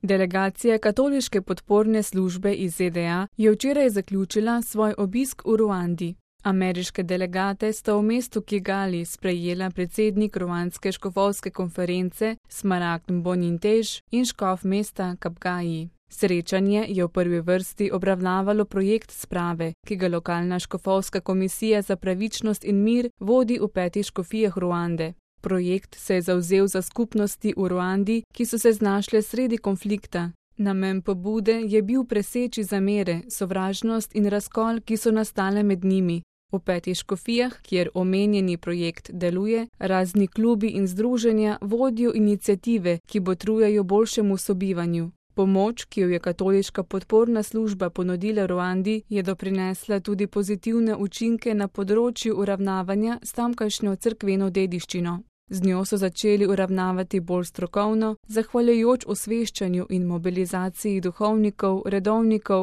Delegacija katoliške podporne službe iz ZDA je včeraj zaključila svoj obisk v Ruandi. Ameriške delegate sta v mestu Kigali sprejela predsednik ruandske škofovske konference Smaragd Mbonimtej in škof mesta Kapgayi. Srečanje je v prvi vrsti obravnavalo projekt sprave, ki ga lokalna škofovska komisija za pravičnost in mir vodi v 5 škofijah Ruande. Projekt se je zavzel za skupnosti v Ruandi, ki so se znašle sredi konflikta. Namen pobude je bil preseči zamere, sovražnost in razkol, ki so nastale med njimi. V 5 škofijah, kjer omenjeni projekt deluje, razni klubi in združenja vodijo iniciative, ki botrujejo boljšemu sobivanju. Pomoč, ki jo je katoliška podporna služba ponudila Ruandi, je doprinesla tudi pozitivne učinke na področju uravnavanja s tamkajšnjo cerkveno dediščino. Z njo so začeli uravnavati bolj strokovno, zahvaljujoč osveščanju in mobilizaciji duhovnikov,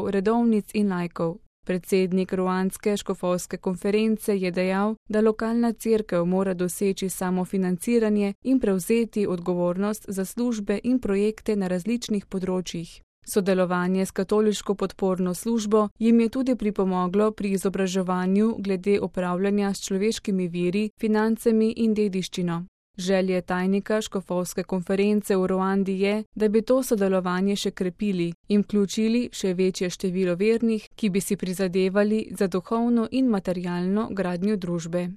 redovnic in laikov. Predsednik ruandske škofovske konference je dejal, da lokalna cerkev mora doseči samofinanciranje in prevzeti odgovornost za službe in projekte na različnih področjih. Sodelovanje s katoliško podporno službo jim je tudi pripomoglo pri izobraževanju glede upravljanja s človeškimi viri, financami in dediščino. Želje tajnika škofovske konference v Ruandi je, da bi to sodelovanje še krepili in vključili še večje število vernih, ki bi si prizadevali za duhovno in materialno gradnjo družbe.